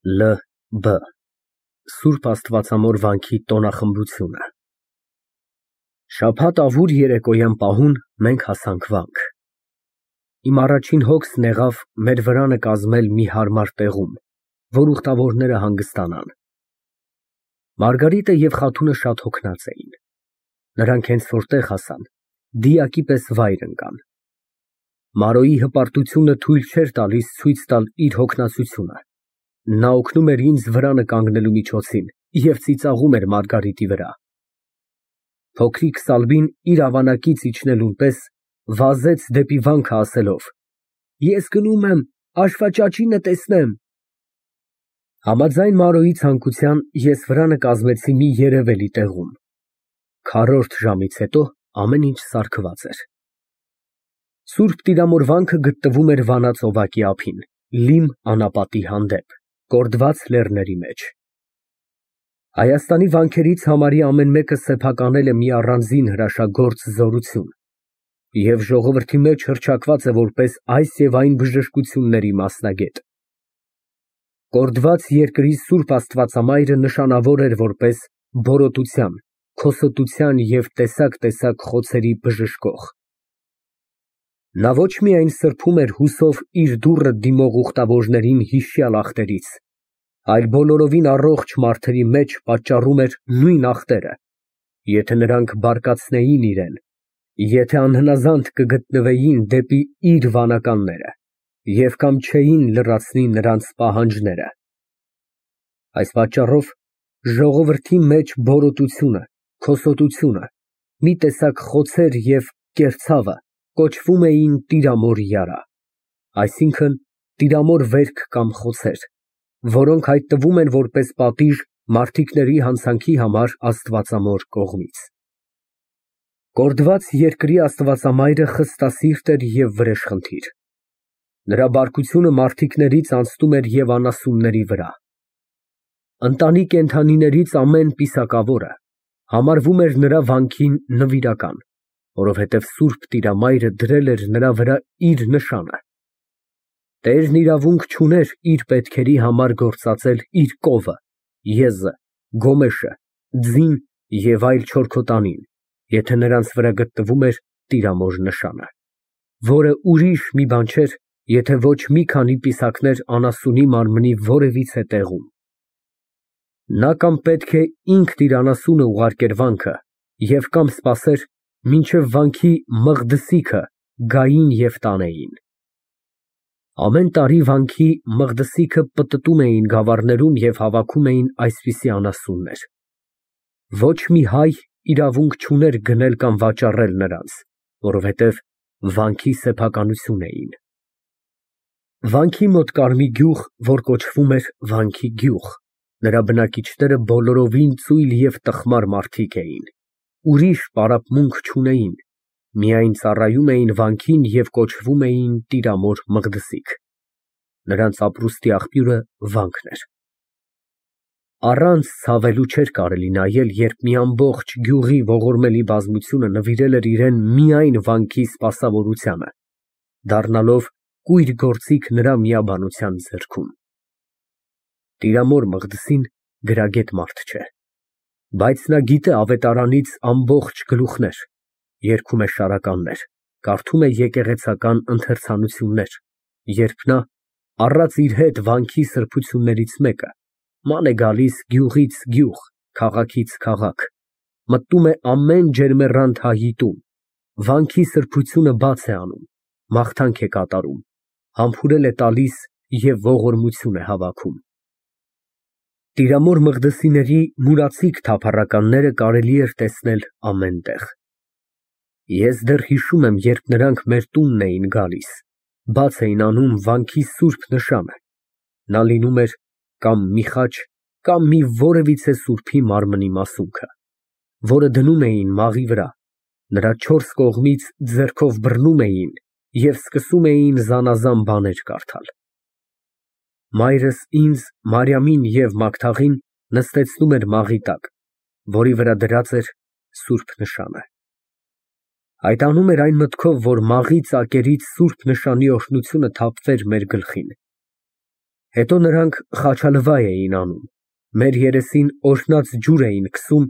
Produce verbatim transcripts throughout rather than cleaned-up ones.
Լ Բ Սուրբ Աստվածամոր վանքի տոնախմբությունը։ Շաբաթ ավուր երեկոյան պահուն մենք հասանք վանք։ Իմ առաջին հոգսն եղավ մեր վրանը կազմել մի հարմար տեղում, որ ուխտավորները հանգստանան։ Մարգարիտը և Խաթունը շատ հոգնած էին։ Նրանք հենց որ տեղ հասան, դիակի պես վայր ընկան։ Մարոյի հպարտությունը թույլ չէր տալիս ցույց տալ իր հոգնածությունը։ Նա օգնում էր ինձ վրանը կանգնելու միջոցին և ծիծաղում էր Մարգարիտի վրա։ Փոքրիկ Սալվին իր ավանակից իջնելուն պես վազեց դեպի վանքը ասելով. Ես գնում եմ Աշվաճաճինը տեսնեմ։ Համաձայն Մարոյի ցանկության ես վրանը կազմեցի մի երևելի տեղում։ Քառորդ ժամից հետո ամեն ինչ սարքված էր։ Սուրբ Տիրամոր վանքը գտնվում էր Վանա ծովակի ափին, լիմ անապատի հանդեպ, կորդված լեռների մեջ։ Հայաստանի վանքերից համարի ամեն մեկը սեփականել է մի առանձին հրաշագործ զորություն և ժողովրդի մեջ հռչակված է որպես այս և այն բժշկությունների մասնագետ։ Կորդված երկրի Սուրբ Աստվածամայրը նշանավոր էր որպես բորոտության, քոսոտության և տեսակ֊տեսակ խոցերի բժշկող։ Նա ոչ միայն սրբում էր հուսով իր դուռը դիմող ուխտավորներին հիշյալ ախտերից, այլ բոլորովին առողջ մարդերի մեջ պատճառում էր նույն ախտերը, եթե նրանք բարկացնեին իրան, եթե անհնազանդ կգտնվեին դեպի իր վանականները և կամ չէին լրացնի նրանց պահանջները։ Այս պատճառով ժողովրդի մեջ բորոտությունը, քոսոտությունը, մի տեսակ խոցեր և կերցավը կոչվում էին Տիրամոր յարա, այսինքն տիրամոր վերք կամ խոցեր, որոնք հայտնվում են որպես պատիժ մարդիկների հանցանքի համար Աստվածամոր կողմից։ Կորդված երկրի Աստվածամայրը խստասիրտ էր և վրեժխնդիր։ Նրա բարկությունը մարդիկներից անցնում էր և անասունների վրա։ Ընտանի կենդանիներից ամեն պիսակավորը համարվում էր նրա վանքին նվիրական, որովհետև Սուրբ Տիրամայրը դրել էր նրա վրա իր նշանը։ Տերն իրավունք չուներ իր պետքերի համար գործածել իր կովը, եզը, գոմեշը, ձին և այլ չորքոտանին, եթե նրանց վրա գտնվում էր Տիրամոր նշանը, որը ուրիշ մի բան չէր, եթե ոչ մի քանի պիսակներ անասունի մարմնի որևիցե տեղում։ Նա կամ պետք է ինքն իր անասունը ուղարկեր վանքը և կամ սպասեր, մինչև վանքի Մղդսիքը գային և տանեին։ Ամեն տարի վանքի Մղդսիքը պտտում էին գավառներում և հավաքում էին այսպիսի անասուններ։ Ոչ մի հայ իրավունք չուներ գնել կամ վաճառել նրանց, որովհետև վանքի սեփականություն էին։ Վանքի մոտ կար մի գյուղ, որ կոչվում էր Վանքի գյուղ, նրա բնակիչները բոլորովին ծույլ և տխմար մարդիկ էին, ուրիշ պարապմունք չունեին, միայն ծառայում էին վանքին և կոչվում էին Տիրամոր Մղդսիկ։ Նրանց ապրուստի աղբյուրը վանքն էր։ Առանց ցավելու չէր կարելի նայել, երբ մի ամբողջ գյուղի ողորմելի բազմությունը նվիրել էր իրան միայն վանքի սպասավորությանը, դառնալով կույր գործիք նրա միաբանության ձեռքում։ Տիրամոր Մղդսին գրագետ մարդ չէ, բայց նա գիտե ավետարանից ամբողջ գլուխներ, երգում է շարականներ, կարդում է եկեղեցական ընթերցանություններ, երբ նա, առած իր հետ վանքի սրբություններից մեկը, ման է գալիս գյուղից գյուղ, քաղաքից քաղաք, մտնում է ամեն ջերմեռանդ հայի տուն, վանքի սրբությունը բաց է անում, մաղթանք է կատարում, համբուրել է տալիս և ողորմություն է հավաքում։ Տիրամոր Մղդսիների մուրացիկ թափառականները կարելի էր տեսնել ամեն տեղ։ Ես դեռ հիշում եմ, երբ նրանք մեր տունն էին գալիս, բաց էին անում վանքի սուրբ նշանը, նա լինում էր կամ մի խաչ, կամ մի որևիցե սուրբի մարմնի մասունքը, որը դնում էին մաղի վրա, նրա չորս կողմից ձեռքով բռնում էին և սկսում էին զանազան բաներ կարդալ։ Մայրս ինձ, Մարիամին և Մագդաղին նստեցնում էր մաղի տակ, որի վրա դրած էր սուրբ նշանը։ Այդ անում էր այն մտքով, որ մաղի ծակերից սուրբ նշանի օրհնությունը թափվեր մեր գլխին։ Հետո նրանք խաչալվա էին անում, մեր երեսին օրհնած ջուր էին քսում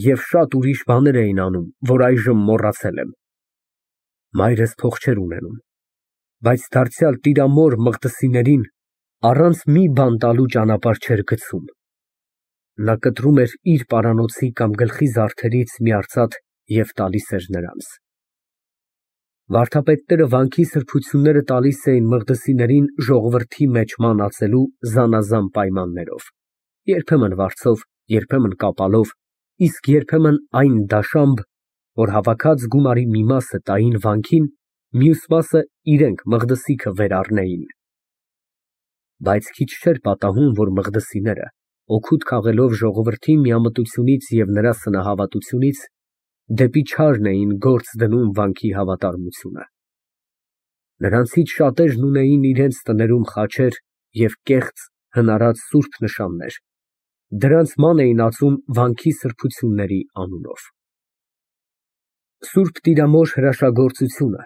և շատ ուրիշ բաներ էին անում, որ այժմ մոռացել եմ։ Մայրս փող չէր ունենում, բայց դարձյալ տիրամոր Մղդիսիներին առանց մի բան տալու ճանապարհ չէր գցում։ Նա կտրում էր իր պարանոցի կամ գլխի զարդերից մի արծաթ և տալիս էր նրանց։ Վարդապետները վանքի սրբությունները տալիս էին Մղդիսիներին ժողովրդի մեջ մանածելու զանազան պայմաններով, երբեմն վարձով, երբեմն կապալով, իսկ երբեմն այն դաշամբ, որ հավաքած գումարի մի մասը տային վանքին, մյուս մասը իրենք Մղդիսիքը վերառնեին։ Բայց քիչ չէր պատահում, որ Մղդիսիները, օգուտ քաղելով ժողովրդի միամտությունից և նրա սնահավատությունից, դեպի չարն էին գործ դնում վանքի հավատարմությունը։ Նրանցից շատերն ունեին իրենց տներում խաչեր և կեղծ հնարած սուրբ նշաններ, դրանց ման էին ածում վանքի սրբությունների անունով։ Սուրբ Տիրամոր հրաշագործությունը,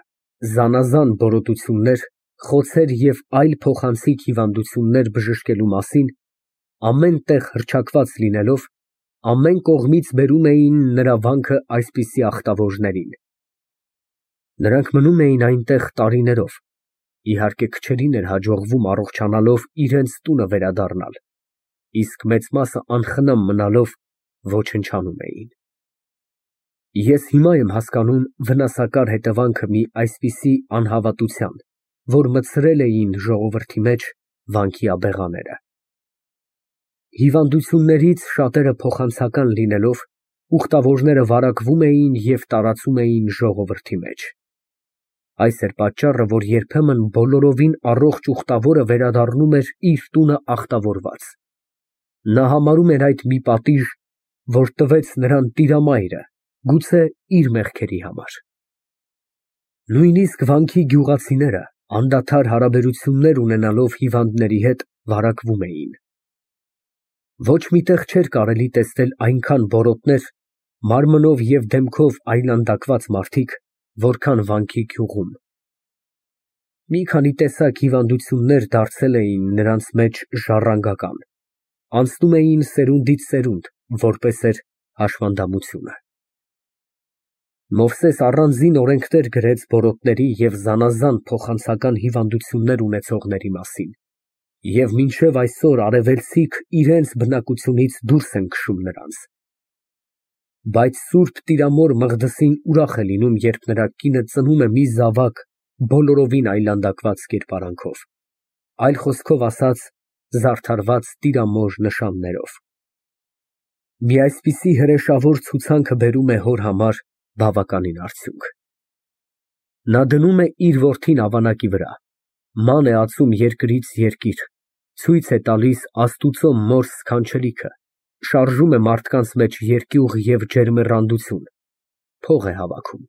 զանազան բորոտություններ, խոցեր և այլ փոխանցիկ հիվանդություններ բժշկելու մասին, ամեն տեղ հռչակված լինելով, ամեն կողմից բերում էին նրա վանքը այսպիսի ախտավորներին։ Նրանք մնում էին այնտեղ տարիներով, իհարկե քչերին էր հաջողվում առողջանալով իրենց տունը վերադառնալ, իսկ մեծ մասը անխնամ մնալով ոչնչանում էին։ Ես հիմա եմ հասկանում վնասակար հետևանքը մի այսպիսի անհավատության, որ մտցրել էին ժողովրդի մեջ վանքի աբեղաները։ Հիվանդություններից շատերը փոխանցական լինելով, ուխտավորները վարակվում էին և տարածում էին ժողովրդի մեջ։ Այս էր պատճառը, որ երբեմն բոլորովին առողջ ուխտավորը վերադառնում էր իր տունը ախտավորված։ Նա համարում էր այդ մի պատիժ, որ տվեց նրան Տիրամայրը, գուցե իր մեղքերի համար։ Նույնիսկ վանքի գյուղացիները, անդադար հարաբերություններ ունենալով հիվանդների հետ, վարակվում էին։ Ոչ մի տեղ չէր կարելի տեսնել այնքան բորոտներ, մարմնով և դեմքով այլանդակված մարդիկ, որքան վանքի գյուղում։ Մի քանի տեսակ հիվանդություններ դարձել էին նրանց մեջ ժառանգական, անցնում էին սերունդից սերունդ, որպես էր հաշվանդամությունը։ Մովսես առանձին օրենքներ գրեց բորոտների և զանազան փոխանցական հիվանդություններ ունեցողների մասին, և մինչև այսօր արևելցիք իրենց բնակությունից դուրս են քշում նրանց։ Բայց Սուրբ Տիրամոր Մղդիսին ուրախ է լինում, երբ նրա կինը ծնում է մի զավակ բոլորովին այլանդակված կերպարանքով, այլ խոսքով ասած, զարդարված տիրամոր նշաններով։ Մի այսպիսի հրեշավոր ցուցանքը բերում է հոր համար բավականին արդյունք։ Նա դնում է իր որդին ավանակի վրա, ման է ածում երկրից երկիր, ցույց է տալիս Աստուծո մոր սքանչելիքը, շարժում է մարդկանց մեջ երկյուղ և ջերմեռանդություն, փող է հավաքում։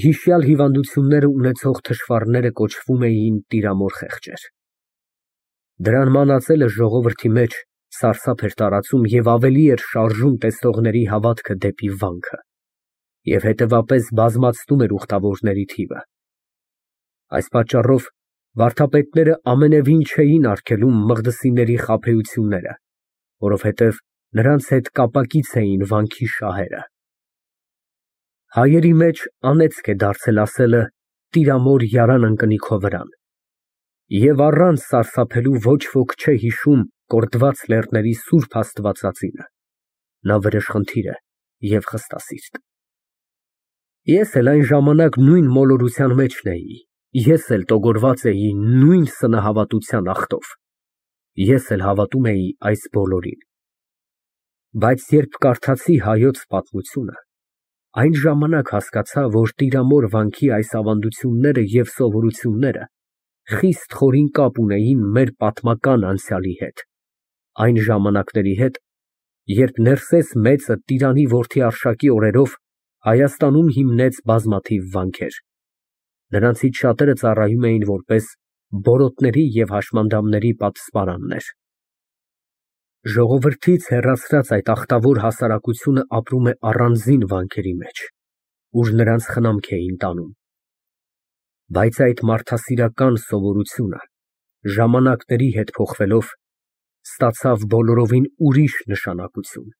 Հիշյալ հիվանդությունները ունեցող թշվառները կոչվում էին տիրամոր խեղճեր։ Դրան ման ածելը ժողովրդի մեջ սարսափ էր տարածում և ավելի էր շարժում տեսնողների հավատքը դեպի վանքը, և հետևապես բազմացնում էր ուխտավորների թիվը։ Այս պատճառով վարդապետները ամենևին չէին արգելում Մղդիսիների խաբեությունները, որովհետև նրանց հետ կապակից էին վանքի շահերը։ Հայերի մեջ անեծք է դարձել ասելը «Տիրամոր յարան ընկնի քո վրան», և առանց սարսափելու ոչ ոք չէ հիշում կորդված լեռների սուրբ աստվածածինը։ Նա վրեժխնդիր է և խստասիրտ։ Ես էլ այն ժամանակ նույն մոլորության մեջն էի, ես էլ տոգորված էի նույն սնահավատության ախտով, ես էլ հավատում էի այս բոլորին։ Բայց երբ կարդացի Հայոց պատմությունը, այն ժամանակ հասկացա, որ Տիրամոր վանքի այս ավանդությունները և սովորությունները խիստ խորին կապ ունեին մեր պատմական անցյալի հետ, այն ժամանակների հետ, երբ Ներսես մեծը Տիրանի որդի Արշակի օրերով Հայաստանում հիմնեց բազմաթիվ վանքեր։ Նրանցից շատերը ծառայում էին որպես բորոտների և հաշմանդամների պատսպարաններ։ Ժողովրդից հեռացրած այդ ախտավոր հասարակությունը ապրում է առանձին վանքերի մեջ, ուր նրանց խնամք էին տանում։ Բայց այդ մարդասիրական սովորությունը ժամանակների հետ փոխվելով, ստացավ բոլորովին ուրիշ նշանակություն,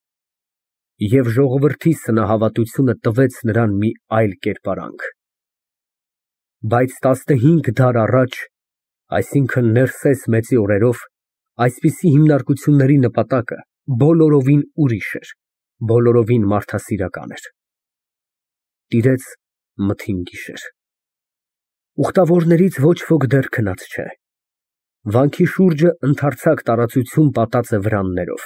և ժողովրդի սնահավատությունը տվեց նրան մի այլ կերպարանք։ Բայց տասնհինգ դար առաջ, այսինքն Ներսես մեծի օրերով, այսպիսի հիմնարկությունների նպատակը բոլորովին ուրիշ էր, բոլորովին մարդասիրական էր։ Տիրեց մթին գիշեր։ Ուխտավորներից ոչ ոք դեռ քնած չէ։ Վանքի շուրջը ընդարձակ տարածություն պատած է վրաններով։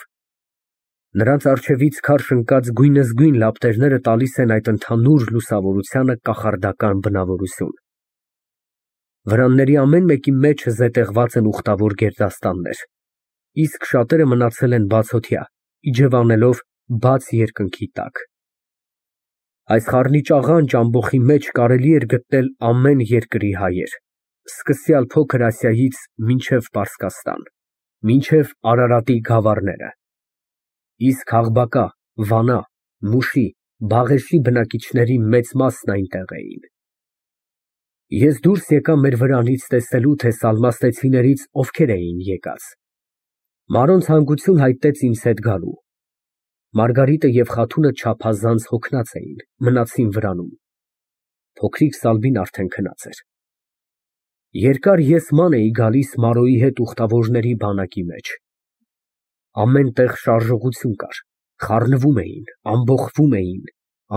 Նրանց առջևից քարշ ընկած գույնզգույն լապտերները տալիս են այդ ընդհանուր լուսավորությանը կախարդական բնավորություն։ Վրանների ամեն մեկի մեջը զետեղված են ուխտավոր գերդաստաններ, իսկ շատերը մնացել են բացօթյա, իջևանելով բաց երկնքի տակ։ Այս խառնիճ աղանջ ամբոխի մեջ կարելի էր գտնել ամեն երկրի հայեր, սկսյալ Փոքր Ասիայից մինչև Պարսկաստան, մինչև Արարատի գավառները, իսկ Աղբակա, Վանա, Մուշի, Բաղեշի բնակիչների մեծ մասն այնտեղ էին։ Ես դուրս եկա մեր վրանից տեսնելու, թե սալմաստեցիներից ովքեր էին եկած։ Մարոն ցանկություն հայտնեց ինձ հետ գալու։ Մարգարիտը և Խաթունը չափազանց հոգնած էին, մնացին վրանում։ Փոքրիկ Սալմին արդեն քնած էր։ Երկար ես ման էի գալիս Մարոյի հետ ուխտավորների բանակի մեջ։ Ամեն տեղ շարժողություն կար, խառնվում էին, ամբոխվում էին,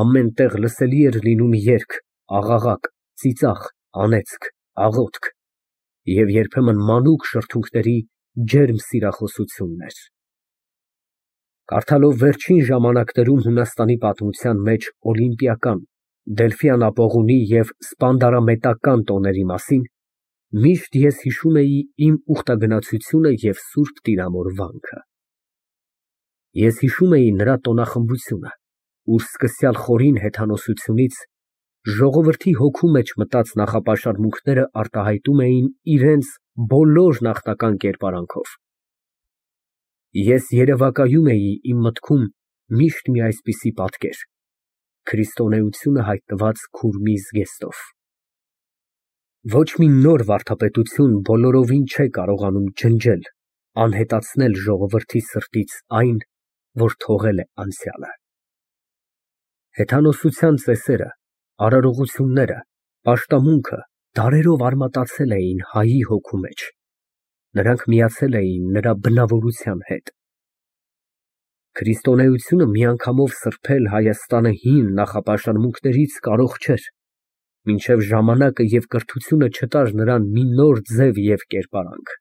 ամեն տեղ լսելի էր լինում երգ, աղաղակ, ծիծաղ, անեծք, աղոթք և երբեմն մանուկ շրթունքների ջերմ սիրախոսություններ։ Կարդալով վերջին ժամանակներում Հունաստանի պատմության մեջ օլիմպիական, Դելֆյան ապողունի և սպանդարամետական տոների մասին, միշտ ես հիշում էի իմ ուխտագնացությունը և Սուրբ Տիրամոր վանքը։ Ես հիշում էի նրա տոնախմբությունը, ուր սկսյալ խորին հեթանոսությունից ժողովրդի հոգու մեջ մտած նախապաշարմունքները արտահայտում էին իրենց բոլոր նախնական կերպարանքով։ Ես երևակայում էի իմ մտքում միշտ մի այսպիսի պատկեր, քրիստոնեությունը հայտնված Քուրմի զգեստով։ Ոչ մի նոր վարդապետություն բոլորովին չէ կարողանում ջնջել, անհետացնել ժողովրդի սրտից այն, որ թողել է անցյալը։ Հեթանոսության ծեսերը, արարողությունները, պաշտամունքը դարերով արմատացել էին հայի հոգու մեջ, նրանք միացել էին նրա բնավորության հետ։ Քրիստոնեությունը միանգամով սրբել Հայաստանը հին նախապաշարմունքներից կարող չէր, մինչև ժամանակը և կրթությունը չտար նրան մի նոր ձև և կերպարանք։